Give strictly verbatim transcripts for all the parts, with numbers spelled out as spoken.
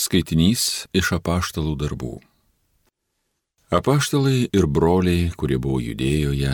Skaitinys iš apaštalų darbų. Apaštalai ir broliai, kurie buvo Judėjoje,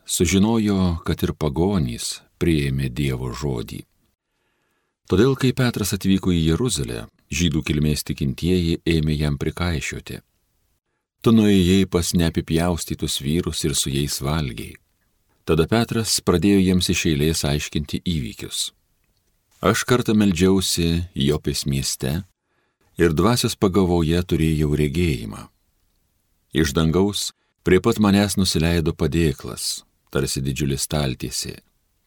sužinojo, kad ir pagonys priėmė Dievo žodį. Todėl, kai Petras atvyko į Jeruzalę, žydų kilmės tikintieji ėmė jam prikaišioti. Tu nuėjai pas neapipjaustytus vyrus ir su jais valgiai. Tada Petras pradėjo jiems iš eilės aiškinti įvykius. Aš kartą meldžiausi Jopės mieste ir dvasios pagavoje turėjau regėjimą. Iš dangaus prie pat manęs nusileido padėklas, tarsi didžiulis staltiesė,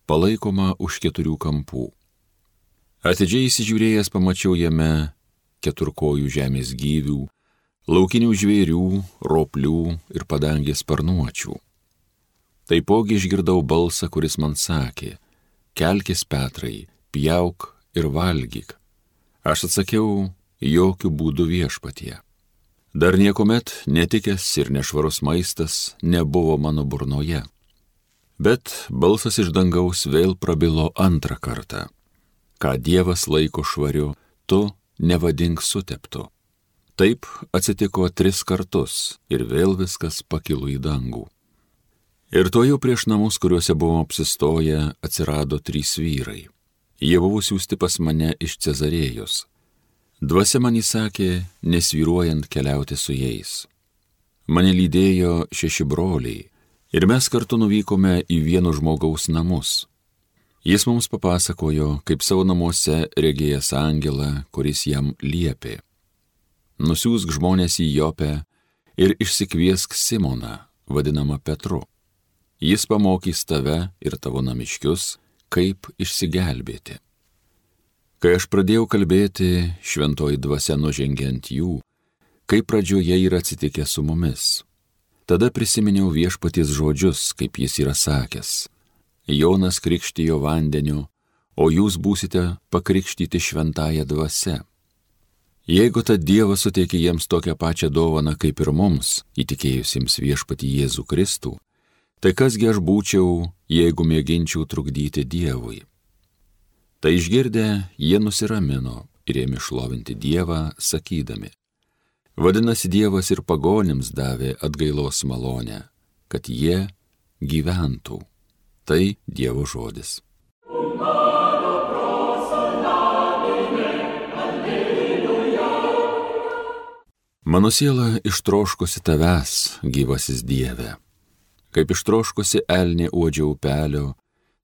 palaikoma už keturių kampų. Atidžiai įsižiūrėjęs pamačiau jame keturkojų žemės gyvių, laukinių žvėrių, roplių ir padangės sparnuočių. Taipogi išgirdau balsą, kuris man sakė: kelkis, Petrai, pjauk ir valgyk. Aš atsakiau: jokių būdų viešpatie. Dar niekuomet netikęs ir nešvarus maistas nebuvo mano burnoje. Bet balsas iš dangaus vėl prabilo antrą kartą: ką Dievas laiko švariu, tu nevadink suteptu. Taip atsitiko tris kartus ir vėl viskas pakilo į dangų. Ir tuojau prieš namus, kuriuose buvom apsistoję, atsirado trys vyrai. Jie buvo siųsti pas mane iš Cezarėjos. Dvasia man įsakė, nesvyruojant keliauti su jais. Mane lydėjo šeši broliai ir mes kartu nuvykome į vieno žmogaus namus. Jis mums papasakojo, kaip savo namuose regėjęs angelą, kuris jam liepė: nusiųsk žmonės į Jopę ir išsikviesk Simoną, vadinamą Petru. Jis pamokys tave ir tavo namiškius, kaip išsigelbėti. Kai aš pradėjau kalbėti, šventoji dvasia nužengė ant jų, kaip pradžioje yra atsitikę su mumis. Tada prisiminiau viešpaties žodžius, kaip jis yra sakęs: Jonas krikštijo vandeniu, o jūs būsite pakrikštyti šventąją dvasia. Jeigu tad Dievas suteikė jiems tokią pačią dovaną kaip ir mums, įtikėjusiems viešpatį Jėzų Kristų, tai kasgi aš būčiau, jeigu mėginčiau trukdyti Dievui? Tai išgirdę, jie nusiramino ir ėmė šlovinti Dievą, sakydami: vadinasi, Dievas ir pagonims davė atgailos malonę, kad jie gyventų. Tai Dievo žodis. Mano siela ištroškusi tavęs, gyvasis Dieve. Kaip ištroškusi elnė uodžia upelio,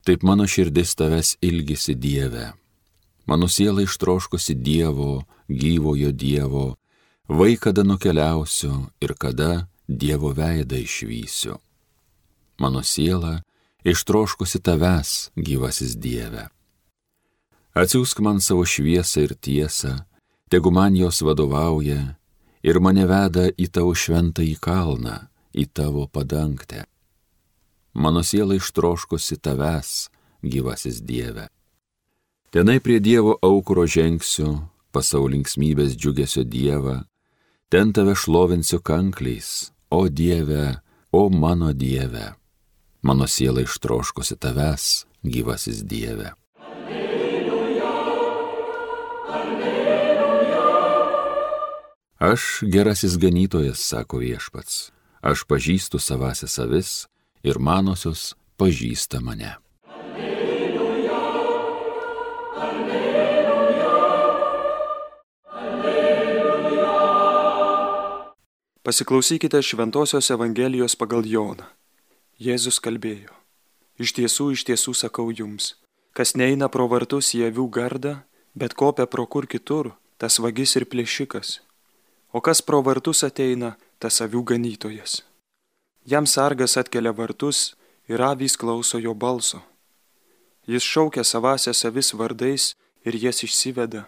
taip mano širdis tavęs ilgisi, Dieve. Mano siela ištroškusi Dievo, gyvojo Dievo, vai kada nukeliausiu ir kada Dievo veidą išvysiu. Mano siela ištroškusi tavęs, gyvasis Dieve. Atsiųsk man savo šviesą ir tiesą, tegu man jos vadovauja ir mane veda į tavo šventąjį kalną, į tavo padangtę. Mano siela ištroškusi tavęs, gyvasis Dieve. Tenai prie Dievo aukuro žengsiu, pas savo linksmybės džiugesio Dievą, ten tave šlovinsiu kankliais, o Dieve, o mano Dieve. Mano siela ištroškusi tavęs, gyvasis Dieve. Alleluja, alleluja. Aš gerasis ganytojas, sako viešpats, aš pažįstu savąsias avis ir manosios pažįsta mane. Alleluja, alleluja, alleluja. Pasiklausykite Šventosios Evangelijos pagal Joną. Jėzus kalbėjo: iš tiesų, iš tiesų sakau jums, kas neina pro vartus į avių gardą, bet kopia pro kur kitur, tas vagis ir plėšikas. O kas pro vartus ateina, tas avių ganytojas. Jam sargas atkelia vartus ir avys klauso jo balso. Jis šaukia savąsias avis vardais ir jas išsiveda.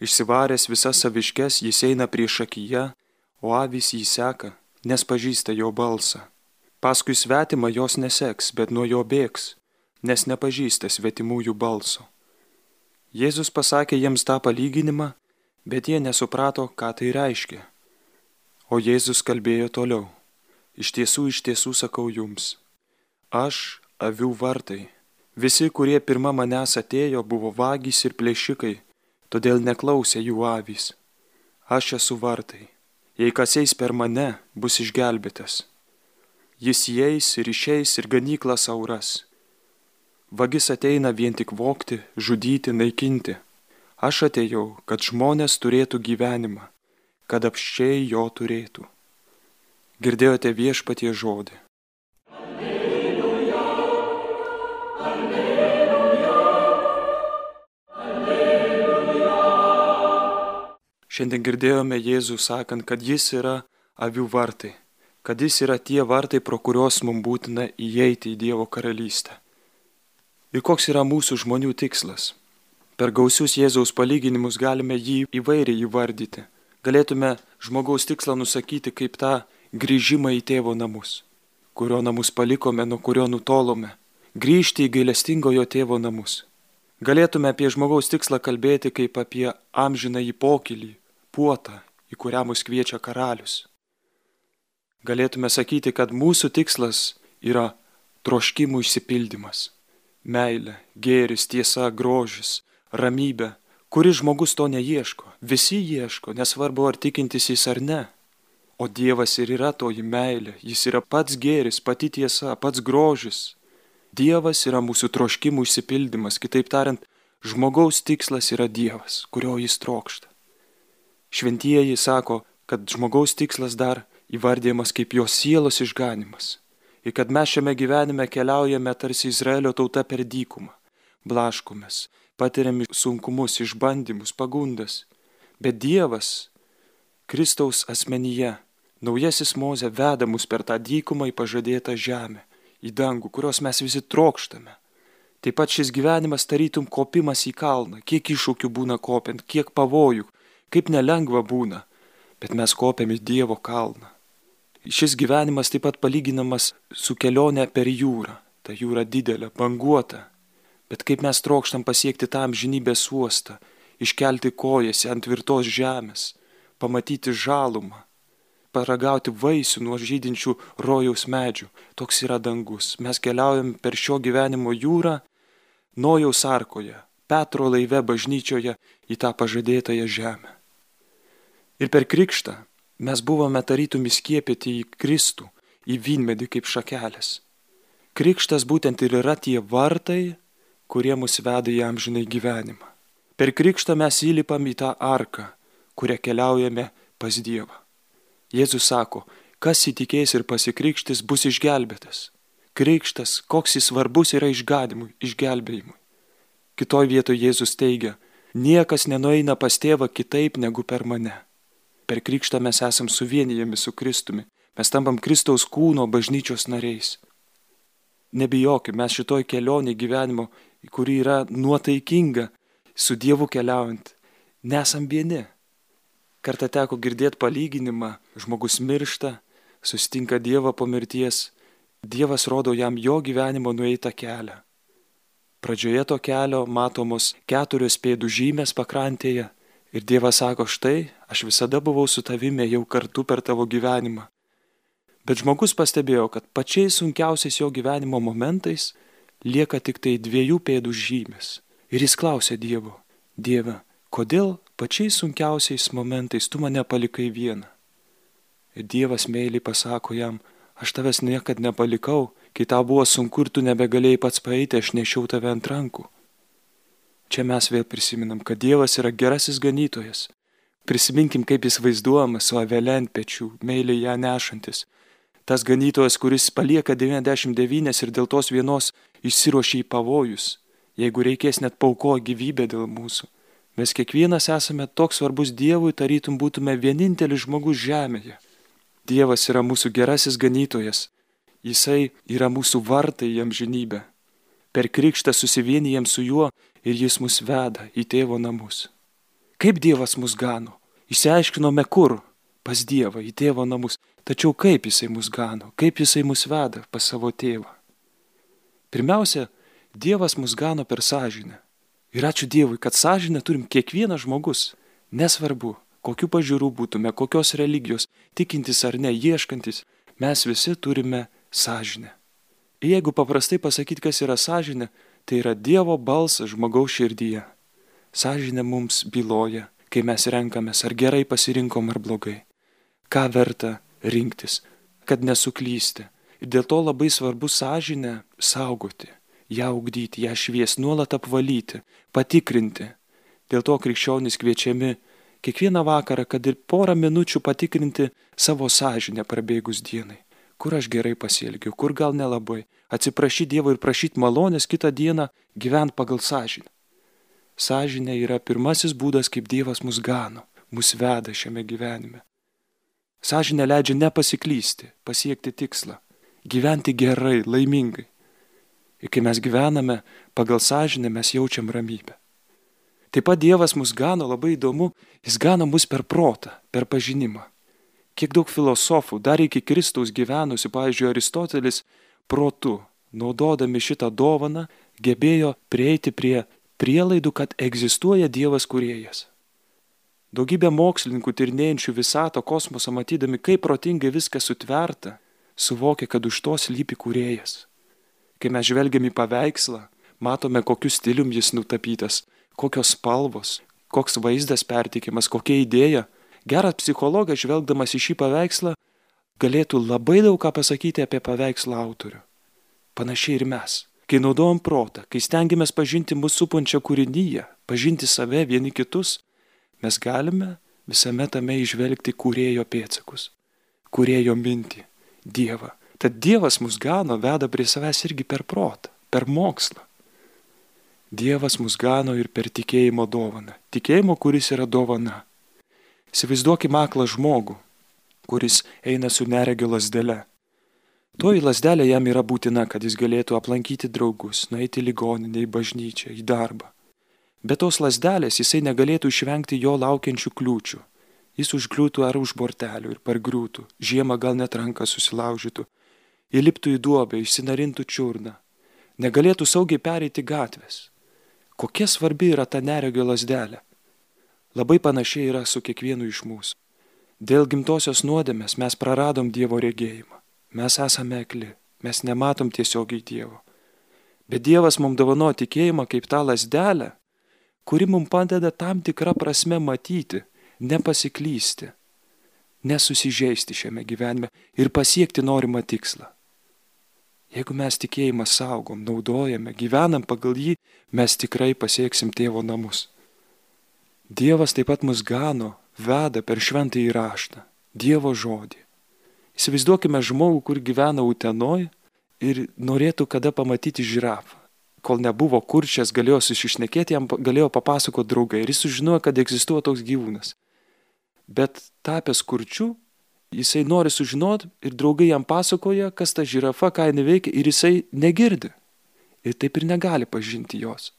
Išsivaręs visas aviškes, jis eina priešakyje, o avys jį seka, nes pažįsta jo balsą. Paskui svetimą jos neseks, bet nuo jo bėgs, nes nepažįsta svetimųjų balso. Jėzus pasakė jiems tą palyginimą, bet jie nesuprato, ką tai reiškia. O Jėzus kalbėjo toliau: iš tiesų, iš tiesų sakau jums, aš avių vartai. Visi, kurie pirma manęs atėjo, buvo vagys ir plėšikai, todėl neklausė jų avys. Aš esu vartai. Jei kas eis per mane, bus išgelbėtas. Jis įeis ir išeis ir ganyklą sau ras. Vagis ateina vien tik vogti, žudyti, naikinti. Aš atėjau, kad žmonės turėtų gyvenimą, kad apsčiai jo turėtų. Girdėjote Viešpaties žodį. Alleluja, alleluja, alleluja. Šiandien girdėjome Jėzų sakant, kad jis yra avių vartai, kad jis yra tie vartai, pro kuriuos mums būtina įeiti į Dievo karalystę. Ir koks yra mūsų žmonių tikslas? Per gausius Jėzaus palyginimus galime jį įvairiai įvardyti. Galėtume žmogaus tikslą nusakyti kaip tą grįžimą į tėvo namus, kurio namus palikome, nuo kurio nutolome, grįžti į gailestingojo tėvo namus. Galėtume apie žmogaus tikslą kalbėti kaip apie amžinąjį pokylį, puotą, į kurią mus kviečia karalius. Galėtume sakyti, kad mūsų tikslas yra troškimų išsipildymas. Meilė, gėris, tiesa, grožis, ramybė. Kuris žmogus to neieško? Visi ieško, nesvarbu ar tikintis jis ar ne. O Dievas ir yra toji meilė, jis yra pats gėris, pati tiesa, pats grožis. Dievas yra mūsų troškimų išsipildymas, kitaip tariant, žmogaus tikslas yra Dievas, kurio jis trokšta. Šventieji sako, kad žmogaus tikslas dar įvardyjamas kaip jo sielos išganimas. Ir kad mes šiame gyvenime keliaujame tarsi Izraelio tauta per dykumą, blaškomės, patiriame sunkumus, išbandymus, pagundas. Bet Dievas, Kristaus asmenyje, naujasis Mozė veda mus per tą dykumą į pažadėtą žemę, į dangų, kurios mes visi trokštame. Taip pat šis gyvenimas tarytum kopimas į kalną, kiek iššūkių būna kopiant, kiek pavojų, kaip nelengva būna, bet mes kopiam į Dievo kalną. Šis gyvenimas taip pat palyginamas su kelionė per jūrą. Ta jūra didelė, banguota. Bet kaip mes trokštam pasiekti tą amžinybės uostą, iškelti kojas ant tvirtos žemės, pamatyti žalumą, paragauti vaisių nuo žydinčių rojaus medžių. Toks yra dangus. Mes keliaujam per šio gyvenimo jūrą, Nojaus arkoje, Petro laive bažnyčioje į tą pažadėtąją žemę. Ir per krikštą mes buvome tarytum įskiepyti į Kristų, į vynmedį kaip šakelės. Krikštas būtent ir yra tie vartai, kurie mus veda į amžinai gyvenimą. Per krikštą mes įlipam į tą arką, kurią keliaujame pas Dievą. Jėzus sako, kas įtikės ir pasikrikštis, bus išgelbėtas. Krikštas, koks jis svarbus yra išganimui, išgelbėjimui. Kitoj vietoje Jėzus teigia, niekas nenueina pas tėvą kitaip negu per mane. Per krikštą mes esam suvienijami su Kristumi. Mes tampam Kristaus kūno bažnyčios nariais. Nebijokime, mes šitoj kelionė gyvenimo, kuri yra nuotaikinga, su Dievu keliaujant, nesam vieni. Kartą teko girdėti palyginimą, žmogus miršta, susitinka Dievą po mirties, Dievas rodo jam jo gyvenimo nueitą kelią. Pradžioje to kelio matomos keturios pėdų žymės pakrantėje, ir Dievas sako, štai, aš visada buvau su tavimi jau kartu per tavo gyvenimą. Bet žmogus pastebėjo, kad pačiais sunkiausiais jo gyvenimo momentais lieka tik tai dviejų pėdų žymės. Ir jis klausė Dievo, Dieve, kodėl pačiais sunkiausiais momentais tu mane palikai vieną? Ir Dievas meiliai pasako jam, aš tavęs niekad nepalikau, kai tau buvo sunku ir tu nebegalėjai pats paeiti, aš nešiau tave ant rankų. Čia mes vėl prisiminam, kad Dievas yra gerasis ganytojas. Prisiminkim, kaip jis vaizduojamas su avele ant pečių, meiliai ją nešantis. Tas ganytojas, kuris palieka devyniasdešimt devynias ir dėl tos vienos išsiruošia į pavojus, jeigu reikės net paukoja gyvybę dėl mūsų. Mes kiekvienas esame toks svarbus Dievui, tarytum būtume vienintelis žmogus žemėje. Dievas yra mūsų gerasis ganytojas. Jisai yra mūsų vartai į amžinybę. Per krikštą susivienijam su juo ir jis mus veda į tėvo namus. Kaip Dievas mus gano? Išsiaiškinome kur? Pas Dievą, į tėvo namus. Tačiau kaip jisai mus gano? Kaip jisai mus veda pas savo tėvą? Pirmiausia, Dievas mus gano per sąžinę. Ir ačiū Dievui, kad sąžinę turim kiekvienas žmogus. Nesvarbu, kokių pažiūrų būtume, kokios religijos, tikintis ar ne, ieškantis, mes visi turime sąžinę. Ir jeigu paprastai pasakyti, kas yra sąžinė, tai yra Dievo balsas žmogaus širdyje. Sąžinė mums byloja, kai mes renkamės, ar gerai pasirinkom ar blogai. Ką verta rinktis, kad nesuklysti. Ir dėl to labai svarbu sąžinę saugoti, ją ugdyti, ją švies, nuolat apvalyti, patikrinti. Dėl to krikščionys kviečiami kiekvieną vakarą, kad ir porą minučių patikrinti savo sąžinę prabėgus dienai. Kur aš gerai pasielgiau, kur gal nelabai. Atsiprašyti Dievo ir prašyti malonės kitą dieną gyventi pagal sąžinę. Sąžinė yra pirmasis būdas, kaip Dievas mus gano, mus veda šiame gyvenime. Sąžinė leidžia nepasiklysti, pasiekti tikslą, gyventi gerai, laimingai. Ir kai mes gyvename pagal sąžinę, mes jaučiam ramybę. Taip pat Dievas mus gano, labai įdomu, jis gano mus per protą, per pažinimą. Kiek daug filosofų, dar iki Kristaus gyvenusių, pavyzdžiui, Aristotelis, protu, naudodami šitą dovaną, gebėjo prieiti prie prielaidų, kad egzistuoja Dievas kūrėjas. Daugybė mokslininkų tyrinėjančių visatą, kosmosą, matydami, kaip protingai viskas sutverta, suvokia, kad už to slypi kūrėjas. Kai mes žvelgiam į paveikslą, matome, kokiu stilium jis nutapytas, kokios spalvos, koks vaizdas perteikiamas, kokia idėja. Geras psichologas, žvelgdamas į šį paveikslą, galėtų labai daug ką pasakyti apie paveikslo autorių. Panašiai ir mes. Kai naudojam protą, kai stengiamės pažinti mūsų supančią kūrinyje, pažinti save, vieni kitus, mes galime visame tame įžvelgti kūrėjo pėdsakus, kūrėjo mintį, Dievą. Tad Dievas mus gano, veda prie savęs irgi per protą, per mokslą. Dievas mus gano ir per tikėjimo dovaną. Tikėjimo, kuris yra dovana. Įsivaizduokime aklą žmogų, kuris eina su neregio lazdele. Toji lazdelė jam yra būtina, kad jis galėtų aplankyti draugus, nueiti į ligoninę, į bažnyčią, į darbą. Be tos lazdelės jisai negalėtų išvengti jo laukiančių kliūčių. Jis užkliūtų ar už bortelių ir pargriūtų, žiemą gal net ranką susilaužytų, įliptų į duobę, išsinarintų čiurną, negalėtų saugiai pereiti gatvės. Kokia svarbi yra ta neregio lazdelė? Labai panašiai yra su kiekvienu iš mūsų. Dėl gimtosios nuodėmės mes praradom Dievo regėjimą. Mes esame akli, mes nematom tiesiogiai Dievo. Bet Dievas mums dovanoja tikėjimą kaip tą lazdelę, kuri mums padeda tam tikrą prasme matyti, nepasiklysti, nesusižeisti šiame gyvenime ir pasiekti norimą tikslą. Jeigu mes tikėjimą saugom, naudojame, gyvenam pagal jį, mes tikrai pasieksim Tėvo namus. Dievas taip pat mus gano, veda per šventąjį raštą, Dievo žodį. Įsivaizduokime žmogų, kur gyvena Utenoj ir norėtų kada pamatyti žirafą. Kol nebuvo kurčias, galėjo susišnekėti, jam galėjo papasakoti draugai ir jis sužinojo, kad egzistuoja toks gyvūnas. Bet tapęs kurčiu, jisai nori sužinoti ir draugai jam pasakoja, kas ta žirafa, ką jinai veikia ir jisai negirdi. Ir taip ir negali pažinti jos.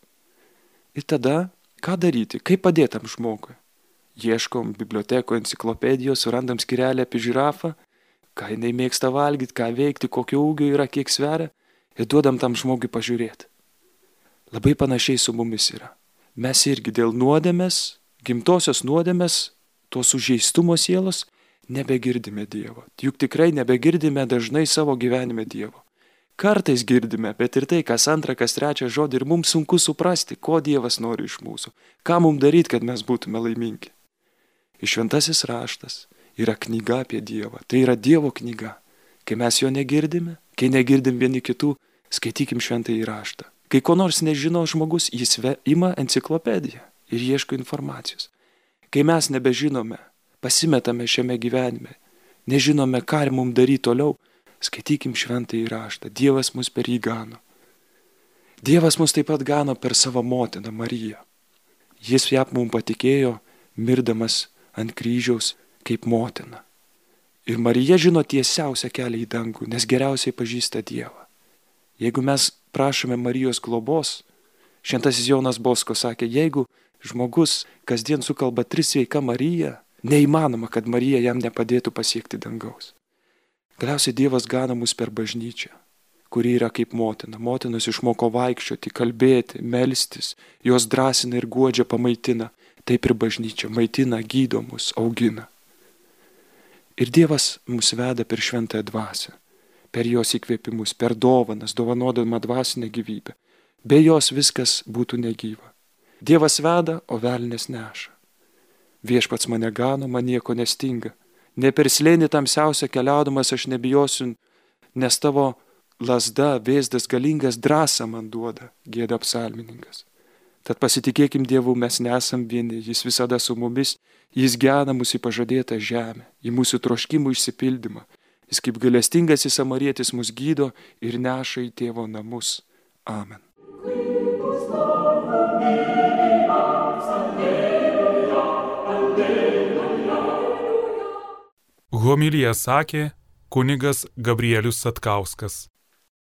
Ir tada, ką daryti, kaip padėtam žmogui? Ieškom biblioteko enciklopedijos, surandam skyrelį apie žirafą, ką jinai mėgsta valgyti, ką veikti, kokio ūgio yra, kiek sveria ir duodam tam žmogui pažiūrėti. Labai panašiai su mumis yra. Mes irgi dėl nuodėmės, gimtosios nuodėmės, tos sužeistumo sielos, nebegirdime Dievo. Juk tikrai nebegirdime dažnai savo gyvenime Dievo. Kartais girdime, bet ir tai, kas antrą, kas trečią žodį ir mums sunku suprasti, ko Dievas nori iš mūsų. Ką mums daryti, kad mes būtume laimingi. Ir šventasis raštas yra knyga apie Dievą. Tai yra Dievo knyga. Kai mes jo negirdime, kai negirdim vieni kitų, skaitykim šventąjį raštą. Kai ko nors nežino žmogus, jis ima enciklopediją ir ieško informacijos. Kai mes nebežinome, pasimetame šiame gyvenime, nežinome, ką ir mums daryti toliau, skaitykim šventąjį raštą. Dievas mus per jį gano. Dievas mus taip pat gano per savo motiną Mariją. Jis ją mums patikėjo, mirdamas ant kryžiaus kaip motina. Ir Marija žino tiesiausią kelią į dangų, nes geriausiai pažįsta Dievą. Jeigu mes prašome Marijos globos, šventasis Jonas Bosko sakė, jeigu žmogus kasdien sukalba tris sveika Marija, neįmanoma, kad Marija jam nepadėtų pasiekti dangaus. Galiausiai Dievas gana mus per bažnyčią, kuri yra kaip motina. Motinos išmoko vaikščioti, kalbėti, melstis, jos drąsina ir guodžia, pamaitina. Taip ir bažnyčia maitina, gydo mus, augina. Ir Dievas mus veda per šventąją dvasią, per jos įkvėpimus, per dovanas, dovanodama dvasinę gyvybę. Be jos viskas būtų negyva. Dievas veda, o velnias neša. Viešpats mane gano, man nieko nestinga. Ne per slėnį tamsiausią keliaudamas aš nebijosiu, nes tavo lazda, vėzdas galingas drąsą man duoda, gieda psalmininkas. Tad pasitikėkim Dievu, mes nesam vieni, jis visada su mumis, jis gena mus į pažadėtą žemę, į mūsų troškimų išsipildymą. Jis kaip gailestingasis samarietis mus gydo ir neša į tėvo namus. Amen. Homiliją sakė kunigas Gabrielius Satkauskas.